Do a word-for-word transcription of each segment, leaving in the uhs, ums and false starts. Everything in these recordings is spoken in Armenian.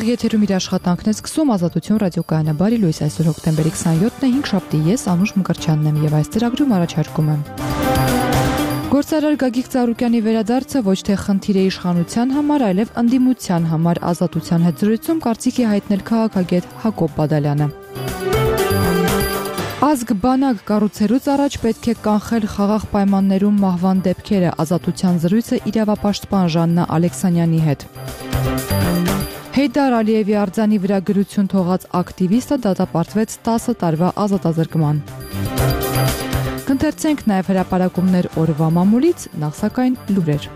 Եթերում իր աշխատանքն է սկսում Ազատություն ռադիոկայանը բարի լույս այսօր հոկտեմբերի քսաներկուսն է հինգշաբթի ես Անուշ Մկրտչյանն եմ եւ այս ծրագրում առաջարկում եմ Գործարար Գագիկ Ծառուկյանի վերադարձը ոչ թե խնդիր է իշխանության համար, այլև ընդդիմության համար Ազատության հետ զրույցում կարծիքի հայտնել քաղաքագետ Հակոբ Բադալյանը Ազգ բանակ կառուցելուց առաջ պետք է կանխել խաղաղ պայմաններում մահվան դեպքերը Ազատության զրույցը իրավապաշտպան Ժաննա Ալեքսանյանի հետ Հեյդար Ալիևի արձանի վրա գրություն թողած ակտիվիստը դատապարտվեց տասը տարվա ազատազրկման Կընթերցենք նաև հրապարակումներ օրվա մամուլից, նախ սակայն լուրեր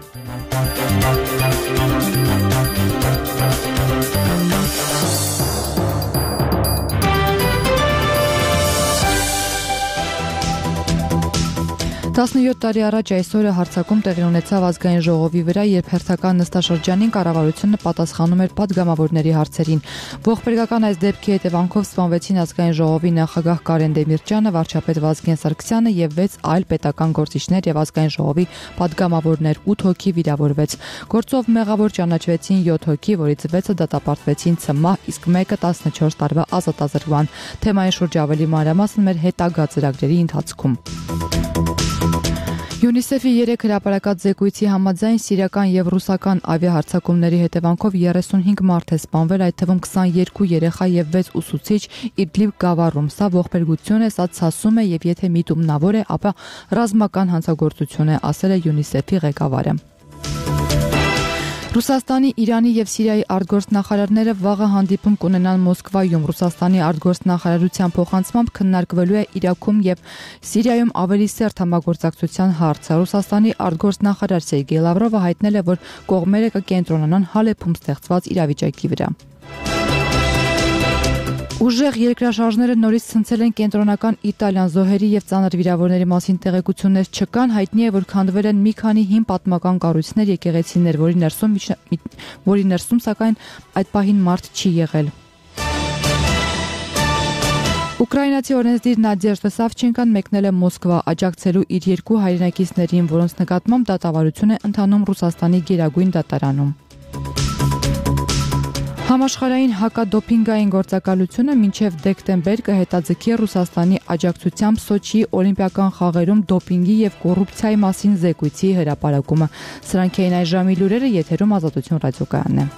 տասնյոթ տարի առաջ այս օրը հարձակում տեղի ունեցավ ազգային ժողովի վրա, երբ հերթական նստաշրջանին կառավարությունը պատասխանում էր պատգամավորների հարցերին։ Ողբերգական այս դեպքի հետևանքով սպանվեցին ազգային ժողովի նախագահ Կարեն Դեմիրճյանը, վարչապետ Վազգեն Սարգսյանը եւ վեց այլ պետական գործիչներ եւ ազգային ժողովի պատգամավորներ, ութ հոգի վիրավորվեց։ Գործով մեղավոր ճանաչվեցին յոթ հոգի, որից վեցը դատապարտվեցին ցմահ, իսկ մեկը տասնչորս տարվա ազատազրկման։ Թեմայի շուրջ ավելի մանրամասն մեր հետագա ծրագրերի ընթացքում։ ՅՈՒՆԻՍԵՖ-ի երեք հրապարակած զեկույցի համաձայն սիրիական եւ ռուսական ավիահարձակումների հետևանքով երեսունհինգ մարդ է սպանվել, այդ թվում քսաներկու երեխա եւ վեց ուսուցիչ Իդլիբ գավառում։ Սա ողբերգություն է, սա ցասում է եւ եթե միտումնավոր է, ապա ռազմական հանցագործություն է, ասել է ՅՈՒՆԻՍԵՖ-ի ղեկավարը։ Ռուսաստանի, Իրանի եւ Սիրիայի արտգործնախարարները վաղը հանդիպում կունենան Մոսկվայում։ Ռուսաստանի արտգործնախարարության փոխանցմամբ քննարկվելու է Իրաքում եւ Սիրիայում ավելի սերտ համագործակցության հարցը։ Ռուսաստանի արտգործնախարար Սերգեյ Լավրովը հայտնել է, որ կողմերը կկենտրոնանան Հալեփում ստեղծված իրավիճակի վրա։ Ուժեղ երկրաշարժները նորից ցնցել են կենտրոնական Իտալիան զոհերի եւ ծանր վիրավորների մասին տեղեկություններ չկան, հայտնի է, որ քանդվել են մի քանի հին պատմական կառույցներ, եկեղեցիներ, որի ներսում որի ներսում սակայն այդ պահին մարդ չի եղել։ Ուկրաինացի օրենսդիր Նադեժդա Սավչենկան մեկնել է Մոսկվա աջակցելու իր երկու հայրենակիցներին, որոնց նկատմամբ դատավարություն է ընթանում Ռուսաստանի գերագույն դատարանում։ Համաշխարհային հակադոփինգային գործակալությունը մինչև դեկտեմբեր կհետաձգի Ռուսաստանի աջակցությամբ Սոչիի օլիմպիական խաղերում դոփինգի եւ կոռուպցիայի մասին զեկույցի հրապարակումը։ Սրանք էին այս ժամի լուրերը, եթերում Ազատություն ռադիոկայանն է։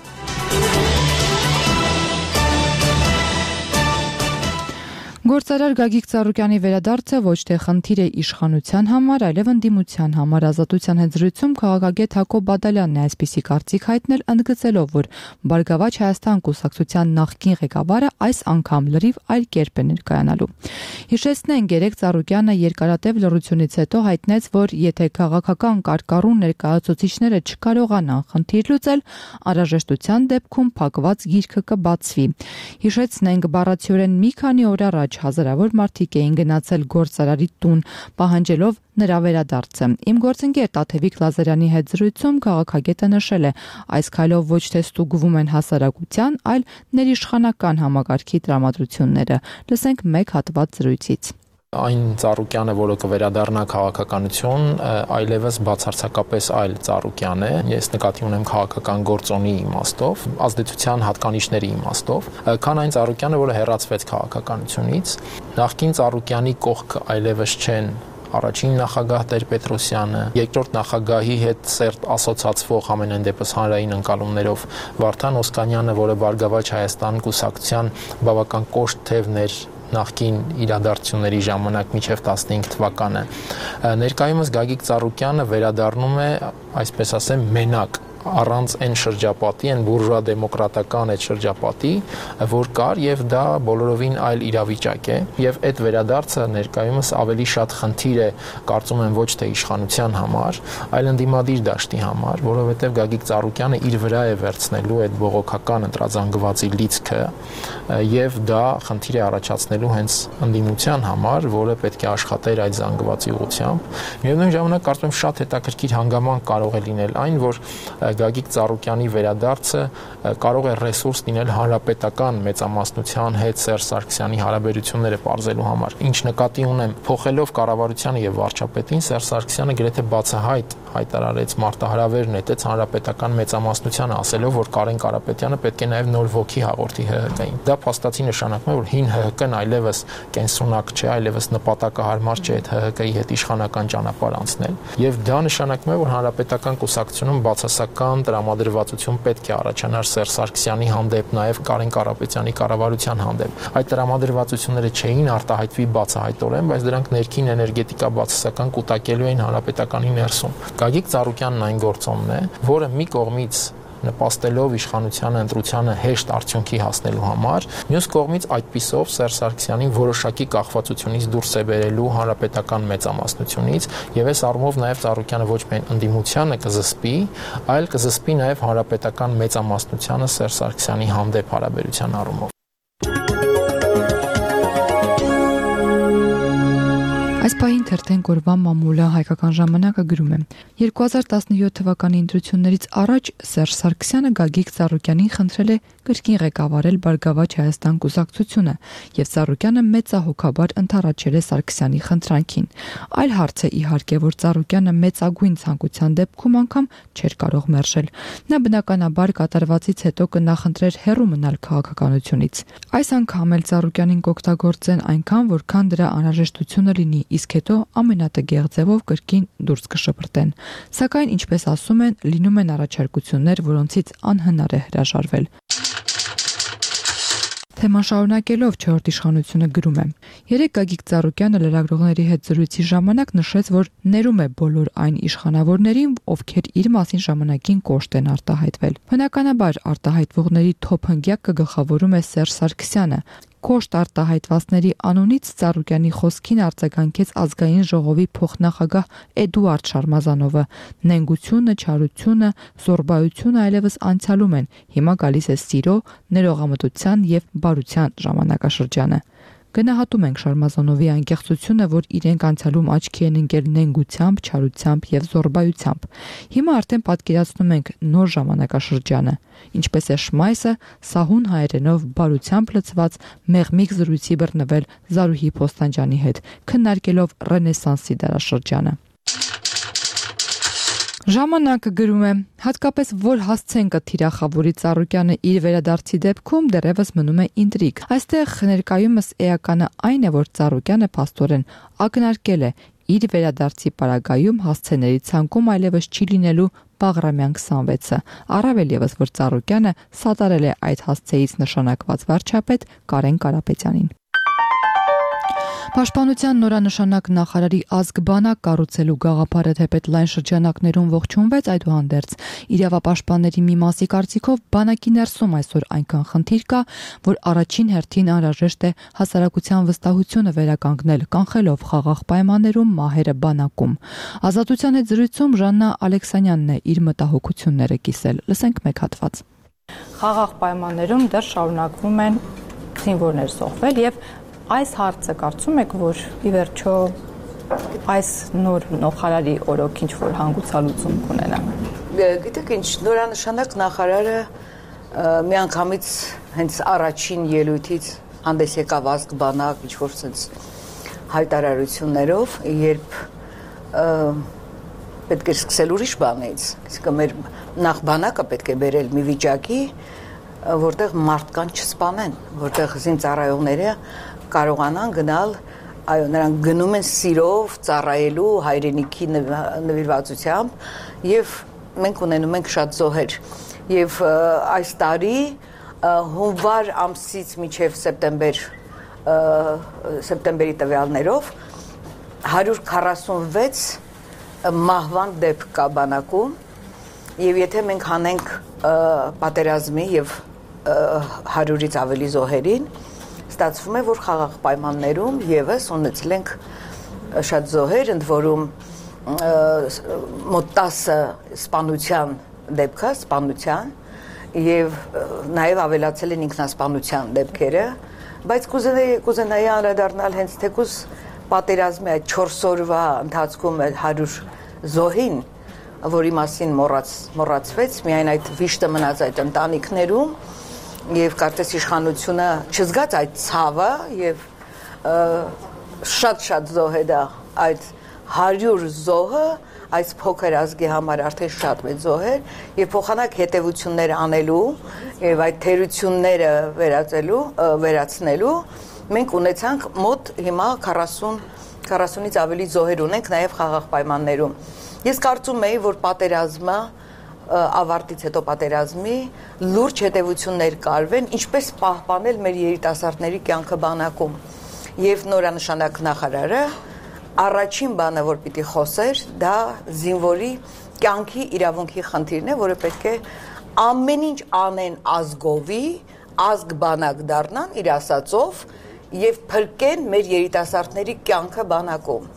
Գործարար Գագիկ Ծառուկյանի վերադարձը ոչ թե խնդիր է իշխանության համար, այլև ընդդիմության համար Ազատության հետ զրույցում քաղաքագետ Հակոբ Բադալյանն է այսպիսի կարծիք հայտնել, ընդգծելով, որ Բարգավաճ Հայաստան կուսակցության նախկին ղեկավարը այս անգամ լրիվ այլ կերպ է ներկայանալու։ Հիշեցնենք, երեկ Ծառուկյանը երկարատև լռությունից հետո հայտնեց, որ եթե քաղաքական կարկառուն ներկայացուցիչները չկարողանան խնդիր լուծել, անհրաժեշտության դեպքում փակված գիրքը կբացվի։ Հիշեցնենք, բառացիորեն մի քանի օր առաջ հազարավոր մարդիկ էին գնացել գործարարի տուն, պահանջելով նրա վերադարձը։ Իմ գործընկեր Տաթևիկ Լազարյանի հետ զրույցում քաղաքագետը նշել է, այս քայլով ոչ թե ստուգվում են հասարակության, այլ ներիշխանական համակարգի տրամադրությունները։ Լսենք մեկ հատված զրույցից։ Այն Ծառուկյանը, որը կվերադառնա քաղաքականություն, այլևս բացարձակապես այլ Ծառուկյան է։ Ես նկատի ունեմ քաղաքական գործոնի իմաստով, ազդեցության հատկանիշների իմաստով, քան այն Ծառուկյանը, որը հեռացվեց քաղաքականությունից։ Նախկին Ծառուկյանի կողքը այլևս չեն առաջին նախագահ Տեր-Պետրոսյանը, երկրորդ նախագահի հետ սերտ ասոցացվող ամենայն դեպս հանրային ընկալումներով Վարդան Օսկանյանը, որը Բարգավաճ Հայաստան կուսակցության բավական կոշտ թևներ նախկին իրադարձությունների ժամանակ մինչև տասնհինգ թվականը։ Ներկայումս Գագիկ Ծառուկյանը վերադառնում է, այսպես ասեմ, մենակ առանց այն շրջապատի, այն բուրժուա դեմոկրատական այդ շրջապատի, որ կար եւ դա բոլորովին այլ իրավիճակ է եւ այդ վերադարձը ներկայումս ավելի շատ խնդիր է, կարծում եմ, ոչ թե իշխանության համար, այլ ընդդիմադիր դաշտի համար, որովհետեւ Գագիկ Ծառուկյանը իր վրա է վերցնելու այդ բողոքական ընտրազանգվածի լիցքը եւ դա խնդիր է առաջացնելու հենց ընդդիմության համար, որը պետք է աշխատեր այդ զանգվածի ուղղությամբ։ Միևնույն ժամանակ կարծում եմ շատ հետաքրքիր հանգամանք կարող է լինել այն, որ Գագիկ Ծառուկյանի վերադարձը կարող է ռեսուրս լինել հանրապետական մեծամասնության հետ Սերժ Սարգսյանի հարաբերությունները պարզելու համար։ Ինչ նկատի ունեմ, փոխելով կառավարությանը եւ վարչապետին, Սերժ Սարգսյանը գրեթե բացահայտ հայտարարեց մարտահրավեր նետեց հանրապետական մեծամասնությանը, ասելով, որ Կարեն Կարապետյանը պետք է նաեւ նոր ոգի հաղորդի Հ Հ Կ-ին։ Դա փաստացի նշանակում է, որ հին Հ Հ Կ-ն այլևս կենսունակ չէ, այլևս նպատակահարմար չէ այդ Հ Հ Կ-ի հետ իշխանական ճանապարհ անցնել, եւ դա նշանակում է, որ հանրապետական կուսակցությունում բացասական տրամադրվածություն պետք է առաջանար Սերժ Սարգսյանի հանդեպ, նաեւ Կարեն Կարապետյանի կառավարության հանդեպ։ Այդ տրամադրվածությունները չէին արտահայտվի բացահայտորեն, բայց դրանք ներքին էներգետիկա բացասական կուտակելու էին հանրապետականի ներսում։ Գագիկ Ծառուկյանն այն գործոնն է, որը մի կողմից նպաստելով իշխանության ընտրությանը հեշտ արդյունքի հասնելու համար, մյուս կողմից այդպիսով Սերժ Սարգսյանին որոշակի կախվածությունից դուրս է բերելու հանրապետական մեծամասնությունից, եւ այս առումով նաեւ Ծառուկյանը ոչ միայն ընդդիմությանը կզսպի, այլ կզսպի նաեւ հանրապետական մեծամասնությանը Սերժ Սարգսյանի հանդեպ հարաբերության առումով։ Այս պահին թերթեն կորվան մամուլը հայկական ժամանակը գրում է. երկու հազար տասնյոթ թվականի ընտրություններից առաջ Սերժ Սարգսյանը Գագիկ Ծառուկյանին խնդրել է կրկին ղեկավարել Բարգավաճ Հայաստան կուսակցությունը, եւ Ծառուկյանը մեծահոգաբար ընդառաջել է Սարգսյանի խնդրանքին։ Այլ հարց է իհարկե, որ Ծառուկյանը մեծագույն ցանկության դեպքում անգամ չէր կարող մերժել։ Նա բնականաբար կատարվածից հետո կնախընտրեր հեռու մնալ քաղաքականությունից։ Այս անգամ էլ Ծառուկյանին կօգտագործեն այնքան, որքան դրա անհրաժեշտությունը լինի, իսկ հետո ամենատգեղ ձևով կրկին դուրս կշպրտեն։ Սակայն, ինչպես ասում են, լինում են առաջարկություններ, որոնցից անհնար է հրաժարվել։ Թեման շարունակելով չորրորդ իշխանությունը գրում է. Երեկ Գագիկ Ծառուկյանը լրագրողների հետ զրույցի ժամանակ նշեց, որ ներում է բոլոր այն իշխանավորներին, ովքեր իր մասին ժամանակին կոշտ են արտահայտվել։ Բնականաբար արտահայտվողների թոփ հնգյակը գլխավորում է Սերժ Սարգսյանը։ Կոշտ արտահայտվածների անունից Ծառուկյանի խոսքին արձագանքեց ազգային ժողովի փոխնախագահ Էդուարդ Շարմազանովը։ Նենգությունը, չարությունը, զոռբայությունը այլևս անցյալում են։ Հիմա գալիս է սիրո, ներողամտության եւ բարության ժամանակաշրջանը։ Գնահատում ենք Շարմազանովի անկեղծությունը, որ իրենք անցյալում աչքի են ընկել նենգությամբ, չարությամբ եւ զոռբայությամբ։ Հիմա արդեն պատկերացնում ենք նոր ժամանակաշրջանը։ Ինչպես է Շմայսը սահուն հայերենով բարությամբ լցված մեղմիկ զրույցի բռնվել Զարուհի Փոստանջյանի հետ, քննարկելով Ռենեսանսի դարաշրջանը։ Ժամանակը գրում է. հատկապես որ հասցեն կթիրախավորի Ծառուկյանը իր վերադարձի դեպքում դեռևս մնում է ինտրիգ։ Այստեղ ներկայումս էականը այն է, որ Ծառուկյանը փաստորեն ակնարկել է իր վերադարձի պարագայում հասցեների ցանկում այլևս չի լինելու Բաղրամյան քսանվեցը։ Առավել եւս, որ Ծառուկյանը սատարել է այդ հասցեից նշանակված վարչապետ Կարեն Կարապետյանին։ Պաշտպանության նորանշանակ նախարարի ազգբանակ կառուցելու գաղափարը թեպետ լայն շրջանակներում ողջունվեց, այդուհանդերձ իրավապաշտպանների մի մասի կարծիքով բանակի ներսում այսօր այնքան խնդիր կա, որ առաջին հերթին անհրաժեշտ է հասարակության վստահությունը վերականգնել, կանխելով խաղաղ պայմաններում մահերը բանակում։ Ազատության հետ զրույցում Ժաննա Ալեքսանյանն է իր մտահոգությունները կիսել։ Լսենք մեկ հատված։ Խաղաղ պայմաններում դեռ շարունակվում են զինվորներ զոհվել եւ այս հարցը կարծում եք, որ ի վերջո այս նոր նախարարի օրոք ինչ որ հանգուցալուծում կունենա։ Գիտեք ինչ, նորանշանակ նախարարը միանգամից հենց առաջին ելույթից հանդես եկավ ազգբանակ, ինչ որ sense հայտարարություններով, երբ պետք է սկսել ուրիշ բանից, իսկ մեր նախ բանակը պետք է բերել մի վիճակի, որտեղ մարդկանց չսպանեն, որտեղ զինծառայողները կարողանան գնալ, այո, նրանք գնում են սիրով, ծառայելու հայրենիքի նվիրվածությամբ եւ մենք ունենում ենք շատ զոհեր եւ այս տարի հունվար ամսից մինչեւ սեպտեմբեր սեպտեմբերի տվյալներով հարյուր քառասունվեց մահվան դեպք կա բանակում եւ եթե մենք հանենք պատերազմի եւ հարյուրից ավելի զոհերին ստացվում է, որ խաղաղ պայմաններում եւս ունեցել ենք շատ զոհեր, ընդ որում մոտ տասը սպանության դեպքը, սպանության եւ նաեւ ավելացել են ինքնասպանության դեպքերը, բայց կուզենայի կուզենայի անդրադառնալ հենց թեկուզ պատերազմի այդ չորս օրվա ընթացքում հարյուր զոհին, որի մասին մոռաց մոռացվեց, միայն այդ վիշտը մնաց այդ ընտանիքներում եւ կարծես իշխանությունը չզգաց այդ ցավը եւ շատ-շատ զոհ է դա այդ հարյուր զոհը այս փոքր ազգի համար արդեն շատ մեծ զոհ էր եւ փոխանակ հետեւություններ անելու եւ այդ թերությունները վերածելու վերացնելու մենք ունեցանք մոտ հիմա քառասունից ավելի զոհեր ունենք նաեւ խաղաղ պայմաններում ես կարծում եի որ պատերազմը ավարտից հետո պատերազմի լուրջ հետեւություններ կարվեն ինչպես պահպանել մեր երիտասարդների կյանքը բանակում եւ նորանշանակ նախարարը առաջին բանը որ պիտի խոսեր դա զինվորի կյանքի իրավունքի խնդիրն է որը պետք է ամեն ինչ անեն ազգովի ազգ բանակ դառնան իր ասածով եւ փրկեն մեր երիտասարդների կյանքը բանակում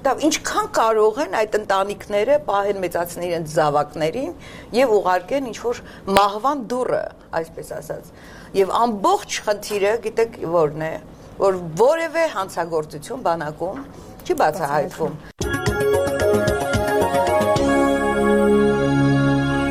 դա ինչքան կարող են այդ ընտանիքները պահեն մեծացնեն իրենց զավակներին եւ ուղարկեն ինչ որ մահվան դուռը այսպես ասած եւ ամբողջ խնդիրը գիտեք որն է որ որևէ հանցագործություն բանակում չի բացահայտվում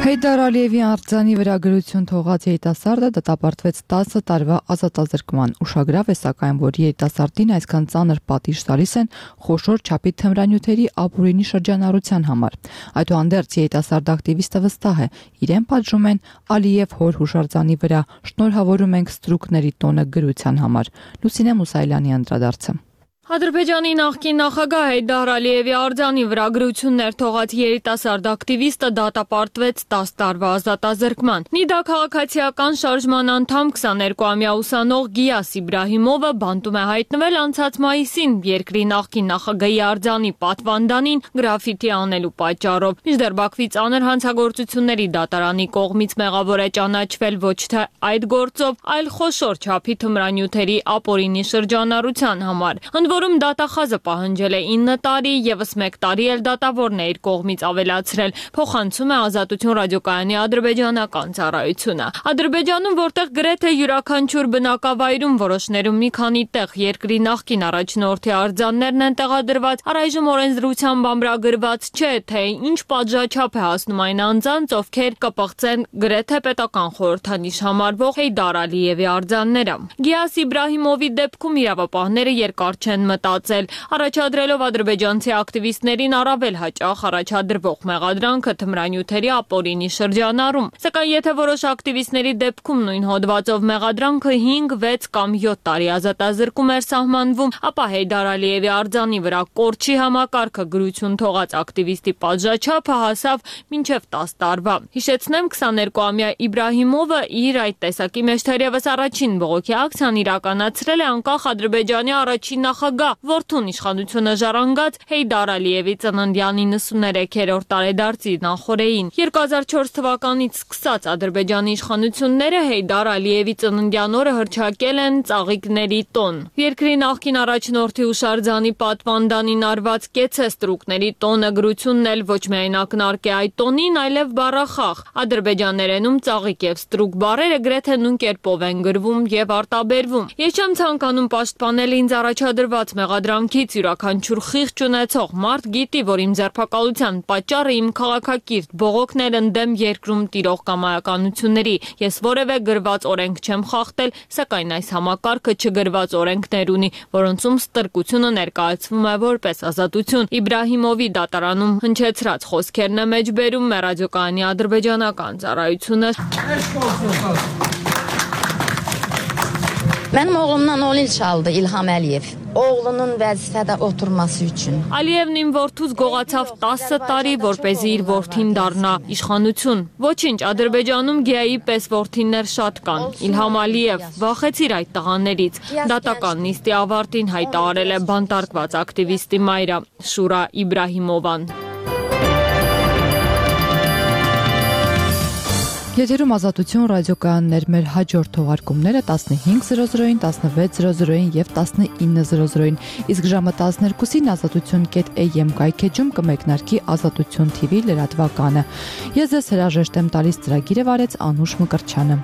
Հեյդար Ալիևի արձանի վրա գրություն թողած երիտասարդը դատապարտվեց տասը տարվա ազատազրկման։ Ուշագրավ է սակայն, որ երիտասարդին այսքան ծանր պատիժ տալիս են խոշոր չափի թմրանյութերի ապօրինի շրջանառության համար։ Այդուհանդերձ երիտասարդ ակտիվիստը վստահ է, իրեն պատժում են Ալիև հոր հուշարձանի վրա, շնորհավորում ենք ստրուկների տոնը գրության համար։ Լուսինե Մուսայելյանի անդրադարձը։ Ադրբեջանի նախկին նախագահ Հեյդար Ալիևի արձանի վրա գրություններ թողած երիտասարդ ակտիվիստը դատապարտվեց տասը տարվա ազատազրկման։ Նիդա քաղաքացիական շարժման անդամ քսաներկուամյա ուսանող Գիաս Իբրահիմովը բանտում է հայտնվել անցած մայիսին երկրի նախկին նախագահի արձանի պատվանդանին գրաֆիտի անելու պատճառով։ Մինչդեռ Բաքվի ծանր հանցագործությունների դատարանի կողմից մեղավոր է ճանաչվել ոչ թե այդ գործով, այլ խոշոր չափի թմրանյութերի ապօրինի շրջանառության համար։ Որում դատախազը պահանջել է ինը տարի, ևս մեկ տարի էլ դատավորն է իր կողմից ավելացրել, փոխանցում է Ազատություն ռադիոկայանի ադրբեջանական ծառայությունը։ Ադրբեջանում, որտեղ գրեթե յուրաքանչյուր բնակավայրում որոշներում մի քանի տեղ երկրի նախկին առաջնորդի արձաններն են տեղադրված, առայժմ օրենսդրությամբ ամրագրված չէ, թե ինչ պատժաչափ է հասնում այն անձանց, ովքեր կպղծեն գրեթե պետական խորհրդանիշ համարվող Հեյդար Ալիևի արձանները։ Գիաս Իբրահիմովի դեպքում իրավապահները երկար չեն մտածել, առաջադրելով ադրբեջանցի ակտիվիստներին առավել հաճախ առաջադրվող մեղադրանքը թմրանյութերի ապօրինի շրջանառում։ Սակայն եթե որոշ ակտիվիստների դեպքում նույն հոդվածով մեղադրանքը հինգ, վեց կամ յոթ տարի ազատազրկում էր սահմանվում, ապա Հեյդար Ալիևի արձանի վրա կորչի համակարգը գրություն թողած ակտիվիստի պատժաչափը հասավ մինչև տասը տարվա։ Հիշեցնեմ, քսաներկուամյա Իբրահիմովը իր այդ տեսակի մեջ թերևս առաջին բողոքի ակցիան իրականացրել է անկախ Ադրբեջանի առաջին նախագահ որդուն իշխանությունը ժառանգած Հեյդար Ալիևի ծննդյան իննսուներեքերորդ տարեդարձի նախօրեին։ երկու հազար չորս թվականից սկսած Ադրբեջանի իշխանությունները Հեյդար Ալիևի ծննդյան օրը հռչակել են ծաղիկների տոն։ Երկրի նախկին առաջնորդի հուշարձանի պատվանդանին արված կեցե ստրուկների տոնը գրությունն էլ ոչ միայն ակնարկ է այդ տոնին, այլև բառախաղ։ Ադրբեջաներենում ծաղիկ եւ ստրուկ բառերը գրեթե նույն կերպով են գրվում եւ արտաբերվում։ Ես չեմ ցանկանում պաշտպանել ինձ առաջադրված մեղադրանքից յուրաքանչյուր խիղճ ունեցող մարդ գիտի, որ իմ ձերբակալության պատճառը իմ քաղաքակիրթ բողոքներ ընդդեմ երկրում տիրող կամայականությունների։ Ես որևէ գրված օրենք չեմ խախտել, սակայն այս համակարգը չգրված օրենքներ ունի, որոնցում ստրկությունը ներկայացվում է որպես ազատություն։ Իբրահիմովի դատարանում հնչեցրած խոսքերն է մեջբերում մեր ռադիոկայանի ադրբեջանական ծառայությունը։ Mənim oğlumdan on il çaldı İlham Əliyev. Oğlunun vəzifədə oturması üçün. Ալիևն իմ որդուց գողացավ տասը տարի, որպեսզի իր որդին դառնա իշխանություն։ Ոչինչ, Ադրբեջանում Գիայի պես որդիներ շատ կան։ Իլհամ Ալիև, վախեցիր այդ տղաներից։ Դատական նիստի ավարտին հայտարարել է բանտարկված ակտիվիստի մայրը Շուրա Իբրահիմովան։ Եթերում Ազատություն ռադիոկայաններ մեր հաջորդ թողարկումները տասնհինգ զրո զրոին, տասնվեց զրո զրոին եւ տասնինը զրո զրոին, իսկ ժամը տասներկուսին ազատություն կետ am կայքեջում կմեկնարկի Ազատություն թի վի լրատվականը։ Ես ձեզ հրաժեշտ եմ տալիս, ծրագիրը վարեց Անուշ Մկրտչյանը։